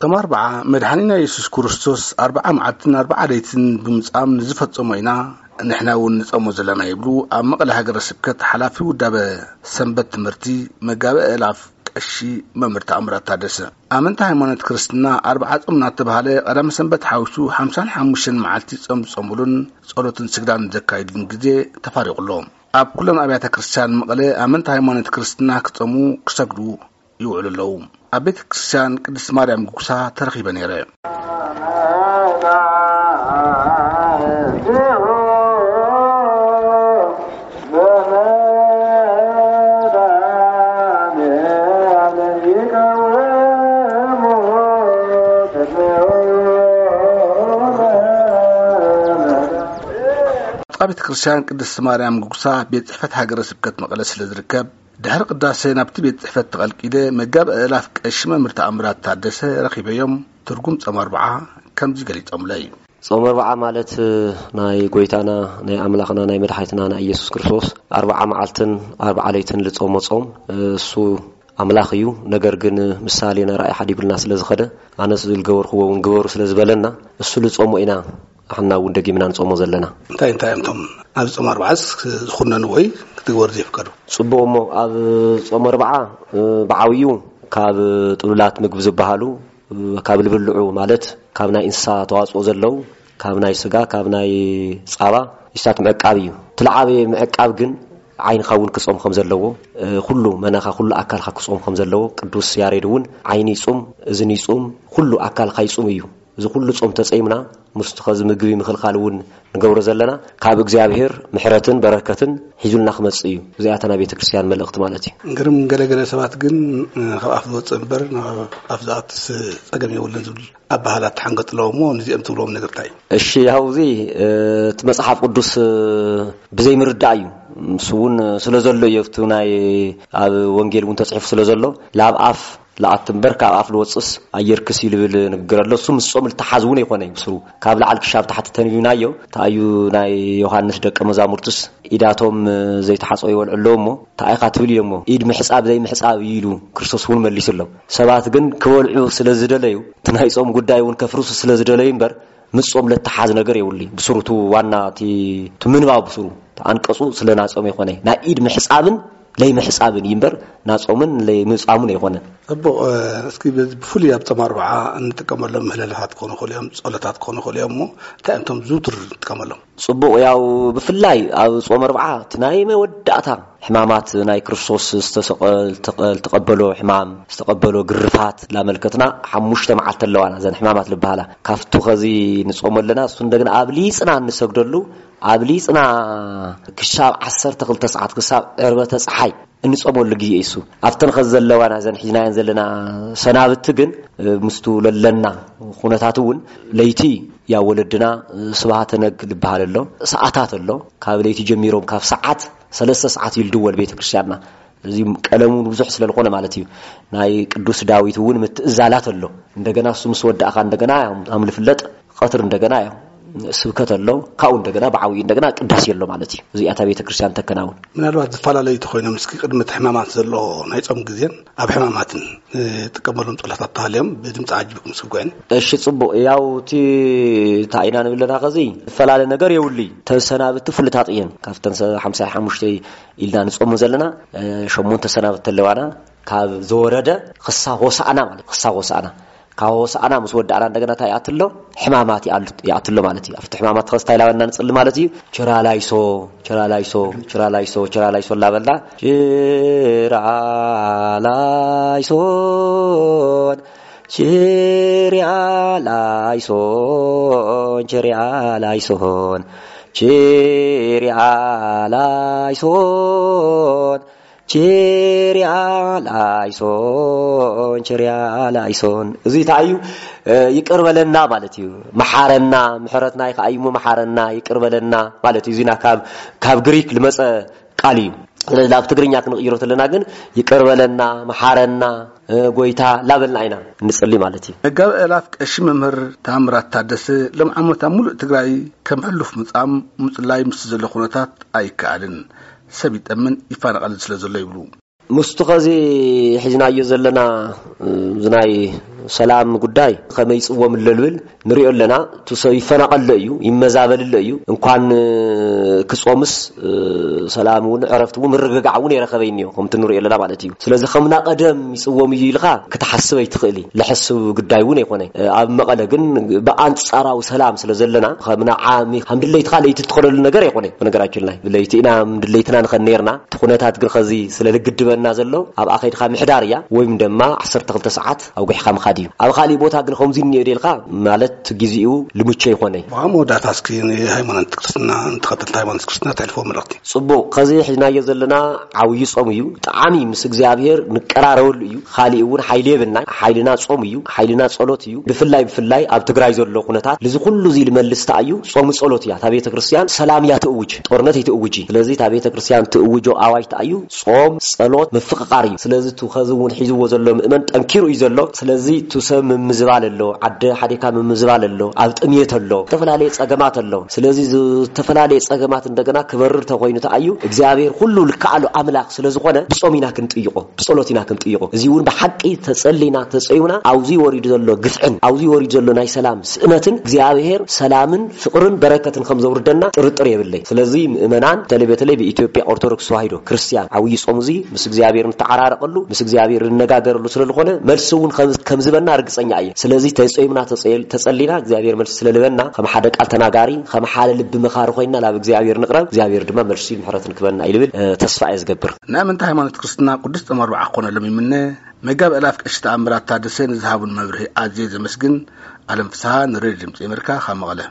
ጾም ኣርብዓ መድሓኒና የሱስ ክርስቶስ ኣርብዓ መዓልትን ኣርብዓ ለይትን ብምጻም ንዝፈጸሞ ኢና ንሕና እውን ንጸሞ ዘለና ይብሉ ኣብ መቐለ ሃገረ ስብከት ሓላፊ ውዳበ ሰንበት ትምህርቲ መጋቢ ኣእላፍ ቀሺ መምህር ተኣምራት ታደሰ። ኣመንቲ ሃይማኖት ክርስትና ኣርብዓ ጾም እናተባህለ ቀዳመ ሰንበት ሓዊሱ ሓምሳን ሓሙሽተን መዓልቲ ጾም ዝጾምሉን ጸሎትን ስግዳን ዘካይድሉን ግዜ ተፋሪቑ ኣሎ። ኣብ ኩለን ኣብያተ ክርስቲያን መቐለ ኣመንቲ ሃይማኖት ክርስትና ክጾሙ ክሰግዱ ይውዕሉ ኣለዉ። ኣብ ቤተ ክርስቲያን ቅድስት ማርያም ጉግሳ ተረኺበ ነይረ። ኣብ ቤተ ክርስቲያን ቅድስት ማርያም ጉግሳ ቤት ጽሕፈት ሃገረ ስብከት መቐለ ስለ ዝርከብ ድሕሪ ቅዳሴ ናብቲ ቤት ጽሕፈት ተቐልቂለ መጋቢ ኣእላፍ ቀሺ መምህር ተኣምራት ታደሰ ረኺበዮም ትርጉም ጾም ኣርብዓ ከምዚ ገሊጾምለይ። ጾም ኣርብዓ ማለት ናይ ጎይታና ናይ ኣምላኽና ናይ መድሓኒትና ናይ ኢየሱስ ክርስቶስ ኣርብዓ መዓልትን ኣርብዓ ለይትን ልጾሞ ጾም፣ እሱ ኣምላኽ እዩ። ነገር ግን ምሳሌ ናይ ራእይ ሓዲጉልና ስለ ዝኸደ ኣነስ ዝልገበርክዎ እውን ግበሩ ስለ ዝበለና እሱ ልጾሞ ኢና ንሕና እውን ደጊምና ንጾሞ ዘለና። እንታይ እንታይ እዮም እቶም ኣብ ጾም ኣርብዓስ ዝኹነኑ ወይ ክትግበሩ ዘይፍቀዱ? ጽቡቕ እሞ ኣብ ጾም ኣርብዓ ብዓብዩ ካብ ጥሉላት ምግቢ ዝበሃሉ ካብ ልብልዑ ማለት ካብ ናይ እንስሳ ተዋፅኦ ዘለዉ ካብ ናይ ስጋ ካብ ናይ ፃባ ይስታት ምዕቃብ እዩ። ትልዓበየ ምዕቃብ ግን ዓይንኻ እውን ክጾም ከም ዘለዎ ኩሉ መናኻ ኩሉ ኣካልካ ክጾም ከም ዘለዎ ቅዱስ ያሬድ እውን ዓይኒ ይጹም እዝኒ ይጹም ኩሉ ኣካልካ ይጹም እዩ። እዚ ኩሉ ጾም ተጸይምና ምስቲ ኸዚ ምግቢ ምኽልኻል እውን ንገብሮ ዘለና ካብ እግዚኣብሔር ምሕረትን በረከትን ሒዙልና ክመጽእ እዩ። እዚኣታ ናይ ቤተ ክርስቲያን መልእኽቲ ማለት እዩ። ግርም ገለገለ ሰባት ግን ካብ ኣፍ ዝወፅእ እምበር ናብ ኣፍ ዝኣትስ ጸገም የብሉን ዝብል ኣባህላት ተሓንገጥ ኣለዎ እሞ ንዚኦም ትብልዎም ነገር እንታይ እዩ? እሺ ያው እዚ እቲ መጽሓፍ ቅዱስ ብዘይምርዳእ እዩ። ምስ እውን ስለ ዘሎ እዩ ኣብቲ ናይ ኣብ ወንጌል እውን ተፅሒፉ ስለ ዘሎ ላብ ኣፍ ለኣት እምበር ካብ ኣፍ ልወፅስ ኣየርክስ እዩ ልብል ንግግር ኣሎ። እሱ ምስ ጾም ልተሓዝ እውን ኣይኮነ እዩ። ብስሩ ካብ ላዕሊ ክሻብ ታሕቲ ተንቢብናዮ ተኣዩ ናይ ዮሃንስ ደቀ መዛሙርትስ ኢዳቶም ዘይተሓፀቡ ይበልዑ ኣለዉ እሞ ተኣይካ ትብል ኢሎሞ ኢድ ምሕፃብ ዘይምሕፃብ እዩ ኢሉ ክርስቶስ እውን መሊሱ ኣሎ። ሰባት ግን ክበልዑ ስለ ዝደለዩ እቲ ናይ ጾም ጉዳይ እውን ከፍርሱ ስለ ዝደለዩ እምበር ምስ ጾም ለተሓዝ ነገር የብሉ። ብስሩ እቲ ዋና እቲ እቲ ምንባብ ብስሩ ተኣንቀጹ ስለ ናጾም ይኾነ ናይ ኢድ ምሕጻብን ለይ ምሕጻብን እዩ እምበር ናጾምን ለይ ምጻሙን ኣይኾነን። ጽቡቕ። እስኪ ብፍሉይ ኣብ ጾም ኣርብዓ እንጥቀመሎም ምህለላታት ክኾኑ ይኽእሉ እዮም፣ ጸሎታት ክኾኑ ይኽእሉ እዮም። እሞ እንታይ እዮም እቶም ዝውቱር እንጥቀመሎም? ጽቡቕ። ያው ብፍላይ ኣብ ጾም ኣርብዓ እቲ ናይ መወዳእታ ሕማማት ናይ ክርስቶስ ዝተሰቐ ዝተቐበሎ ሕማም ዝተቐበሎ ግርፋት ላመልከትና ሓሙሽተ መዓልቲ ኣለዋና እዘን ሕማማት ዝበሃላ ካብቱ ኸዚ ንጾሞ ኣለና። እሱ እንደገና ኣብሊጽና እንሰግደሉ ኣብሊጽና ክሳብ ዓሰርተ ክልተ ሰዓት ክሳብ ዕርበተ ጸሓይ እንጾመሉ ግዜ እዩ። እሱ ኣብተን ኸዚ ዘለዋና እዘን ሒዝናየን ዘለና ሰናብቲ ግን ምስቱ ለለና ኩነታት እውን ለይቲ ያ ወለድና ስብሃተ ነግ ዝበሃል ኣሎ ሰዓታት ኣሎ ካብ ለይቲ ጀሚሮም ካብ ሰዓት ሰለስተ ሰዓት ይልድወል ቤተ ክርስቲያንና። እዚ ቀለሙ ብዙሕ ስለ ዝኾነ ማለት እዩ። ናይ ቅዱስ ዳዊት እውን ምትእዛላት ኣሎ። እንደገና እሱ ምስ ወዳእኻ እንደገና ኣም ልፍለጥ ቀትር እንደገና እዮም ስብከት ኣሎ ካብኡ እንደገና ብዓብዩ እንደገና ቅዳሴ ኣሎ ማለት እዩ። እዚኣታ ቤተ ክርስቲያን ተከናውን ምናልባት ዝፈላለዩ ተኮይኖም እስኪ ቅድሚ እቲ ሕማማት ዘሎ ናይ ጾም ግዜን ኣብ ሕማማትን ጥቀመሎም ጸሎታት ተሃልዮም ብድምፂ ዓጅብኩም ስጉዕን። እሺ ጽቡቕ። ያው እቲ እንታይ ኢና ንብል ኣለና ከዚ ዝፈላለ ነገር የብሉይ። ተሰናብቲ ፍሉጣጥ እየን ካብተን ሓምሳ ሓሙሽተ ኢልና ንጾሙ ዘለና ሸሞንተ ሰናብቲ ኣለዋና ካብ ዘወረደ ክሳብ ሆሳእና ማለት ክሳብ ሆሳእና ካብ ሆሳእና ምስ ወዳእና እንደገና እንታይ ይኣትሎ ሕማማት ይኣትሎ ማለት እዩ። ኣብቲ ሕማማት ኸስታ ኢላበልና ንፅሊ ማለት እዩ። ችራላይሶ ችራላይሶ ችራላይሶ ችራላይሶ እናበልና ችራላይሶን ችሪያላይሶን ችሪያላይሶን ችሪያላይሶን ችሪያ ላይሶን ችሪያ ላይሶን እዚ እንታይ እዩ? ይቅር በለና ማለት እዩ። መሓረና ምሕረት ናይ ከኣይሞ መሓረና ይቅር በለና ማለት እዩ። እዚና ካብ ካብ ግሪክ ልመፀ ቃል እዩ። ስለዚ ናብ ትግርኛ ክንቕይሮ ተለና ግን ይቅር በለና መሓረና ጎይታ ላበልና ኢና እንፅሊ ማለት እዩ። መጋቢ ኣእላፍ ቀሺ መምህር ታምራት ታደሰ ሎም ዓመት ኣብ ሙሉእ ትግራይ ከም ሕሉፍ ምፃም ምፅላይ ምስ ዘሎ ኩነታት ኣይከኣልን። ሰብ ይጠምን ይፋነቐልን ስለ ዘሎ ይብሉ። ምስቱ ኸዚ ሒዝናዮ ዘለና እዚ ናይ ሰላም ጉዳይ ከመይ ይጽወም ኣሎ ልብል ንሪኦ ኣለና። እቲ ሰብ ይፈናቐሎ እዩ፣ ይመዛበልሎ እዩ። እንኳን ክጾምስ ሰላም እውን ዕረፍቲ እውን ምርግጋዕ እውን የረኸበ እኒኦ ከምቲ ንሪኦ ኣለና ማለት እዩ። ስለዚ ከምና ቀደም ይጽወም እዩ ኢልካ ክትሓስብ ኣይትኽእል እዩ። ለሕስብ ጉዳይ እውን ኣይኮነ። ኣብ መቐለ ግን ብኣንጻራዊ ሰላም ስለ ዘለና ከምና ዓሚ ከም ድለይትካ ለይቲ ትኸደሉ ነገር ኣይኮነ። በነገራችን ላይ ብለይቲ ኢና ድለይትና ንኸን ነርና። እቲ ኩነታት ግን ኸዚ ስለ ልግድበና ዘሎ ኣብኣ ከይድካ ምሕዳር እያ ወይም ድማ ዓሰርተ ክልተ ሰዓት ኣውጊሕካ ምኻድ እዩ። ኣብ ካሊእ ቦታ ግን ከምዚ እኒኦ ደልካ ማለት ግዜኡ ልምቹ ኣይኮነ። ብኣ መወዳእታ እስኪ ንሃይማኖት ክርስትና ንተኸተልቲ ሃይማኖት ክርስትና ተሕልፎ መልእኽቲ። ጽቡቕ፣ ከዚ ሒዝናዮ ዘለና ዓብዪ ጾም እዩ። ብጣዕሚ ምስ እግዚኣብሔር ንቀራረበሉ እዩ። ካሊእ እውን ሓይሊ የብልና። ሓይልና ጾም እዩ። ሓይልና ጸሎት እዩ። ብፍላይ ብፍላይ ኣብ ትግራይ ዘሎ ኩነታት ልዚ ኩሉ እዚ ልመልስ ተኣዩ ጾም ጸሎት እያ። እታ ቤተ ክርስቲያን ሰላም እያ ትእውጅ፣ ጦርነት ኣይትእውጂ። ስለዚ እታ ቤተ ክርስቲያን ትእውጆ ኣዋጅ ተኣዩ ጾም ጸሎት ምፍቕቓር እዩ። ስለዚ እቲ ከዚ እውን ሒዝዎ ዘሎ ምእመን ጠንኪሩ እዩ ዘሎ። ስለዚ እቲ ሰብ ምምዝባል ኣሎ፣ ዓደ ሓዲካ ምምዝባል ኣሎ፣ ኣብ ጥምየት ኣሎ፣ ዝተፈላለየ ጸገማት ኣሎ። ስለዚ ዝተፈላለየ ጸገማት እንደገና ክበርር ተኮይኑ ተኣዩ እግዚኣብሔር ኩሉ ልከኣሉ ኣምላኽ ስለ ዝኾነ ብጾም ኢና ክንጥይቆ፣ ብጸሎት ኢና ክንጥይቆ። እዚ እውን ብሓቂ ተጸሊና ተጸዩና ኣብዚ ወሪዱ ዘሎ ግፍዕን ኣብዚ ወሪዱ ዘሎ ናይ ሰላም ስእነትን እግዚኣብሔር ሰላምን ፍቕርን በረከትን ከም ዘውርደና ጥርጥር የብለይ። ስለዚ ምእመናን በተለይ በተለይ ብኢትዮጵያ ኦርቶዶክስ ተዋሂዶ ክርስቲያን ዓብዪ ጾም እዚ ምስ እግዚኣብሔር ንተዓራረቀሉ ምስ እግዚኣብሔር ንነጋገረሉ ስለ ዝኾነ መልሲ እውን ከም- ከም ዝበና ርግጸኛ እየ። ስለዚ ተጸይምና ተጸል- ተጸሊና እግዚኣብሔር መልሲ ስለ ልበና ከም ሓደ ቃል ተናጋሪ ከም ሓደ ልቢ መኻሪ ኮይና ናብ እግዚኣብሔር ንቕረብ። እግዚኣብሔር ድማ መልሲ ምሕረት ንክበና ይልብል ተስፋ እየ ዝገብር። ናይ ኣመንቲ ሃይማኖት ክርስትና ቅዱስ ጾም ኣርብዓ ክኾነሎም ይምነ። መጋቢ ኣእላፍ ቀሺ ተኣምራት ታደሰ ንዝሃቡን መብርሂ ኣዝየ ዘመስግን። ኣለም ፍስሃ ንሬድዮ ድምፂ ኣሜሪካ ካብ መቐለ።